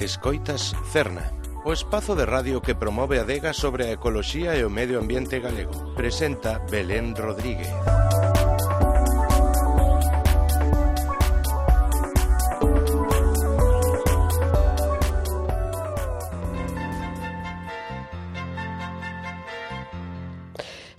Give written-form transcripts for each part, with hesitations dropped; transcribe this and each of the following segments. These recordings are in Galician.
Escoitas Cerna, o espazo de radio que promove a adega sobre a ecoloxía e o medio ambiente galego. Presenta Belén Rodríguez.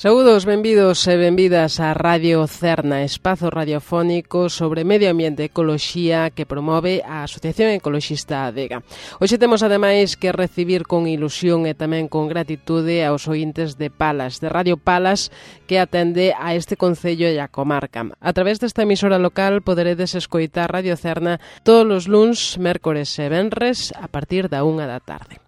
Saúdos, benvidos e benvidas a Radio Cerna, espazo radiofónico sobre medio ambiente e ecoloxía que promove a Asociación Ecoloxista Adega. Hoxe temos ademais que recibir con ilusión e tamén con gratitude aos ointes de Palas, de Radio Palas, que atende a este concello e a comarca. A través desta emisora local poderedes escoitar Radio Cerna todos os luns, mércores e venres a partir da 1 da tarde.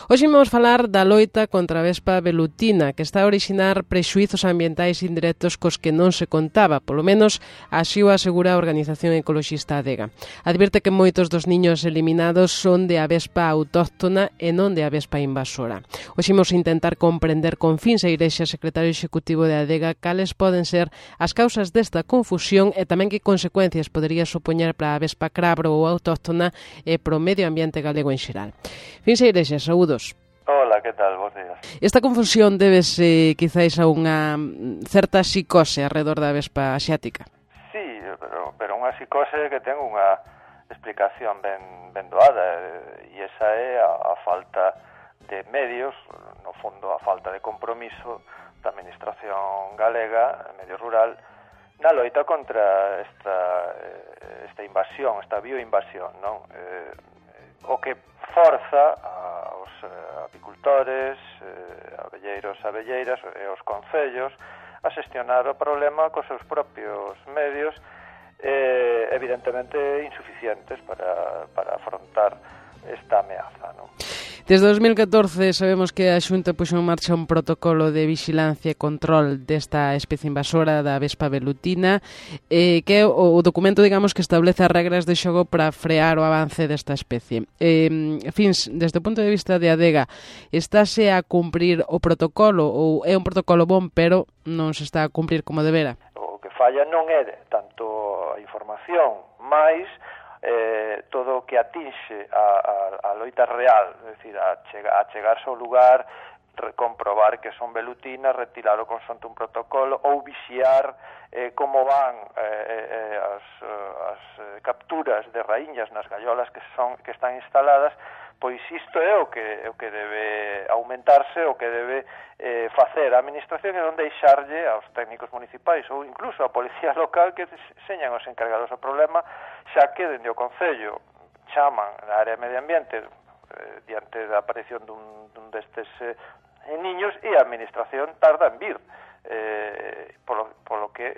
Hoxe vamos falar da loita contra a vespa velutina, que está a orixinar prexuizos ambientais indirectos cos que non se contaba, polo menos así o asegura a Organización Ecoloxista Adega. Advirte que moitos dos niños eliminados son de a vespa autóctona e non de a vespa invasora. Hoxe imos intentar comprender con Fins Eirexa, secretario executivo de Adega, cales poden ser as causas desta confusión e tamén que consecuencias podería supoñer para a vespa crabro ou autóctona e pro medio ambiente galego en xeral. Fins Eirexa, saúdos. Hola, que tal? Bos días. Esta confusión débese quizáis a unha certa psicose alrededor da vespa asiática. Sí, pero unha psicose que ten unha explicación ben doada, e esa é a falta de medios, no fondo a falta de compromiso da Administración galega, medio rural, na loita contra esta invasión, esta bioinvasión, non? O que forza aos apicultores, abelleiros, abelleiras e os concellos a xestionar o problema cos seus propios medios, evidentemente insuficientes para afrontar esta ameaza, non? Desde 2014 sabemos que a Xunta puxo en marcha un protocolo de vixilancia e control desta especie invasora da vespa velutina, que é o documento, digamos, que establece as regras de xogo para frear o avance desta especie. Fins, desde o punto de vista de Adega, estáse a cumprir o protocolo ou é un protocolo bon, pero non se está a cumprir como debera? O que falla non é tanto a información, máis todo o que atinxe a loita real, é dicir, a chegarse ao lugar, comprobar que son velutinas, retirar o consonte un protocolo ou vixiar como van as capturas de raíñas nas gallolas que están instaladas. Pois isto é o que debe aumentarse, o que debe facer a Administración e non deixarlle aos técnicos municipais ou incluso a Policía Local que señan os encargados do problema, xa que dende o Concello chaman na área de medio ambiente diante da aparición dun destes niños e a Administración tarda en vir, polo que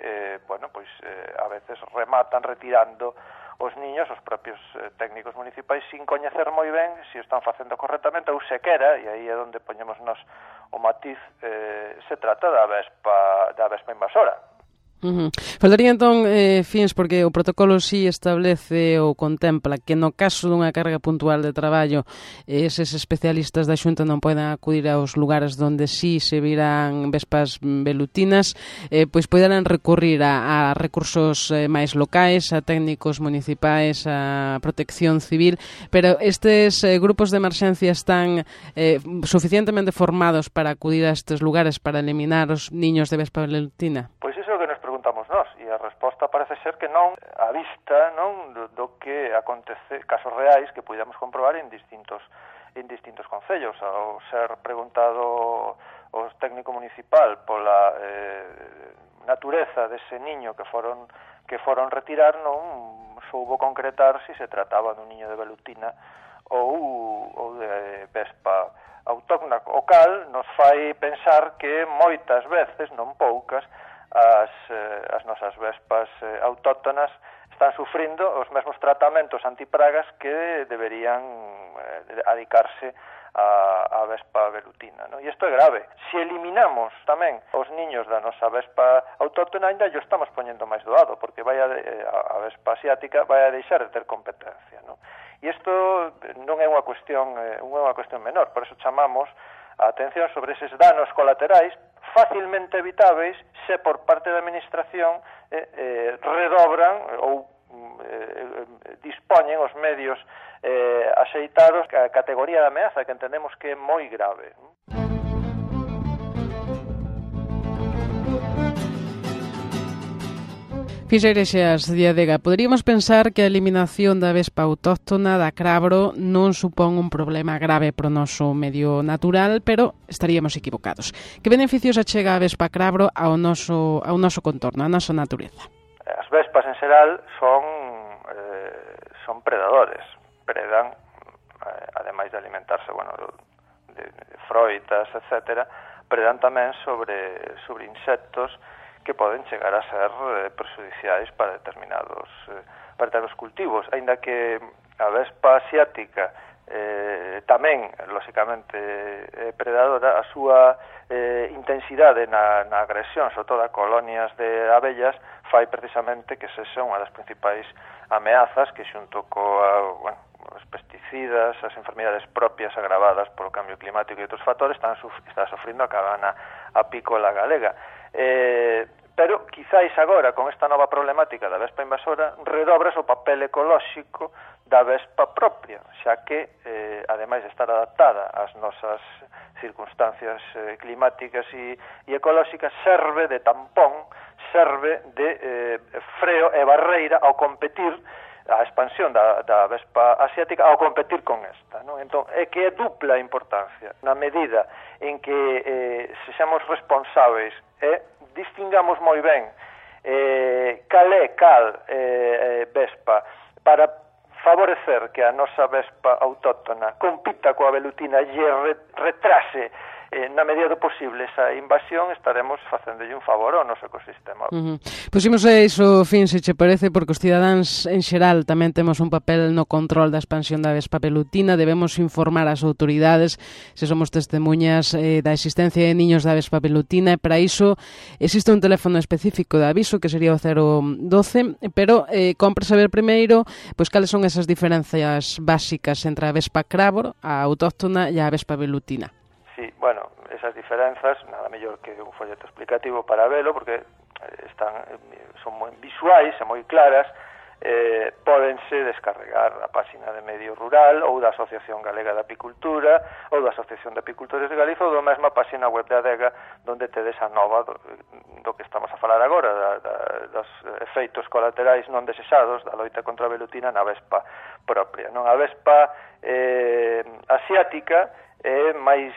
a veces rematan retirando os niños, os propios técnicos municipais, sin coñecer moi ben se o están facendo correctamente ou sequera, e aí é onde poñemos nos o matiz, se trata da vespa invasora. Falaría entón, Fins, porque o protocolo sí establece ou contempla que no caso dunha carga puntual de traballo eses especialistas da Xunta non poden acudir aos lugares onde sí se viran vespas velutinas, pois poderán recurrir a recursos máis locais, a técnicos municipais, a protección civil, pero estes grupos de emerxencia están suficientemente formados para acudir a estes lugares para eliminar os niños de vespa velutina? Pois iso é o que nos preguntamos nós, e a resposta parece ser que non, a vista non do que acontece, casos reais que puidamos comprobar en distintos concellos. Ao ser preguntado o técnico municipal pola natureza dese niño que foron retirar, non soubo concretar se se trataba dun niño de velutina ou de vespa autóctona, o cal nos fai pensar que moitas veces, non poucas, as nosas vespas autóctonas están sufrindo os mesmos tratamentos antipragas que deberían adicarse a vespa velutina, non? E isto é grave. Se eliminamos tamén os niños da nosa vespa autóctona, ainda yo estamos poñendo máis doado, porque a vespa asiática vai a deixar de ter competencia, non? E isto non é unha cuestión menor, por eso chamamos a atención sobre eses danos colaterais facilmente evitáveis se por parte da Administración redobran ou dispoñen os medios axeitados a categoría de ameaza, que entendemos que é moi grave. Fixeirexas de Adega, poderíamos pensar que a eliminación da vespa autóctona da crabro non supón un problema grave para o noso medio natural, pero estaríamos equivocados. Que beneficios achega a vespa crabro ao noso contorno, á nosa natureza? As vespas en xeral son predadores, predan, ademais de alimentarse, de froitas, etc., predan tamén sobre insectos que poden chegar a ser prexudiciais para determinados cultivos, aínda que a vespa asiática tamén, lóxicamente, predadora, a súa intensidade na agresión, sobre todo a colonias de abellas, fai precisamente que sexa unha das principais ameazas que xunto os pesticidas, as enfermidades propias agravadas polo cambio climático e outros factores está sofrindo a cabana apícola galega. Pero quizáis agora, con esta nova problemática da vespa invasora, redobras o papel ecolóxico da vespa propia, xa que, ademais de estar adaptada ás nosas circunstancias climáticas e ecolóxicas, serve de tampón, serve de freo e barreira ao competir a expansión da vespa asiática ao competir con esta, non? Entón, é que é dupla a importancia, na medida en que sexamos responsáveis e distingamos moi ben cal vespa para favorecer que a nosa vespa autóctona compita coa velutina e retrase na medida do posible esa invasión, estaremos facéndolle un favor ao noso ecosistema. Pusimos a iso fin, se che parece, porque os cidadáns en xeral tamén temos un papel no control da expansión da vespa velutina, debemos informar as autoridades se somos testemunhas da existencia de niños da vespa velutina, e para iso existe un teléfono específico de aviso que sería o 012, pero compre saber primeiro cales son esas diferencias básicas entre a vespa crabro, a autóctona e a vespa velutina. Sí, esas diferenzas, nada mellor que un folleto explicativo para velo, porque son moi visuais e moi claras, pódense descarregar a páxina de Medio Rural ou da Asociación Galega de Apicultura ou da Asociación de Apicultores de Galiza ou da mesma páxina web de Adega, onde tedes a nova do que estamos a falar agora, dos efeitos colaterais non desexados da loita contra a velutina na vespa propia. A vespa asiática é máis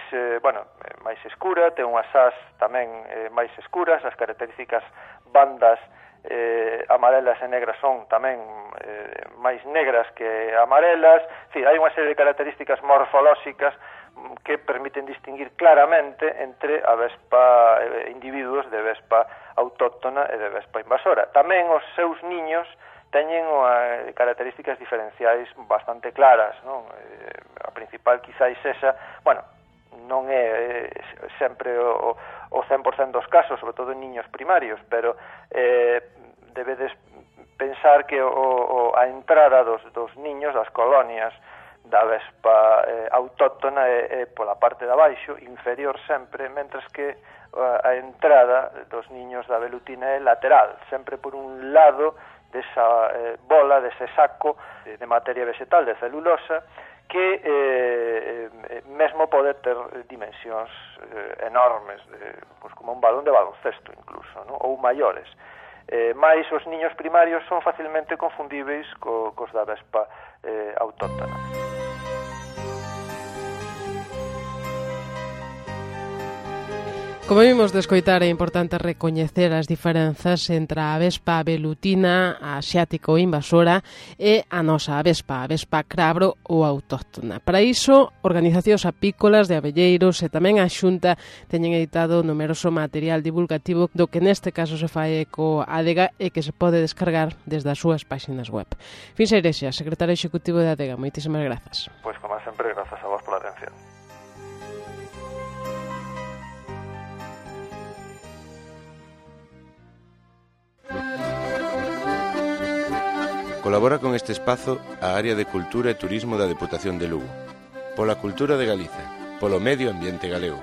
escura, ten unhas ás tamén máis escuras, as características bandas amarelas e negras son tamén máis negras que amarelas. Hai unha serie de características morfolóxicas que permiten distinguir claramente entre a vespa, individuos de vespa autóctona e de vespa invasora. Tamén os seus niños teñen características diferenciais bastante claras, non? A principal quizáis esa, non é sempre o 100% dos casos, sobre todo en niños primarios, pero debedes pensar que a entrada dos niños das colonias da vespa autóctona é pola parte de abaixo, inferior sempre, mentres que a entrada dos niños da velutina é lateral, sempre por un lado desa bola, dese saco de materia vegetal, de celulosa, que mesmo pode ter dimensións enormes, como un balón de baloncesto incluso, ou maiores. Mais os niños primarios son facilmente confundíveis cos da vespa autóctona. Como vimos de escoitar, é importante recoñecer as diferenzas entre a vespa velutina, a asiática ou invasora, e a nosa vespa crabro ou autóctona. Para iso, organizacións apícolas de abelleiros e tamén a Xunta teñen editado numeroso material divulgativo do que neste caso se fai eco Adega e que se pode descargar desde as súas páxinas web. Finsa Irexas, secretario executivo de Adega, moitísimas grazas. Pois, como sempre, grazas a vos pola atención. Colabora con este espazo a Área de Cultura e Turismo da Deputación de Lugo, pola cultura de Galiza, polo medio ambiente galego.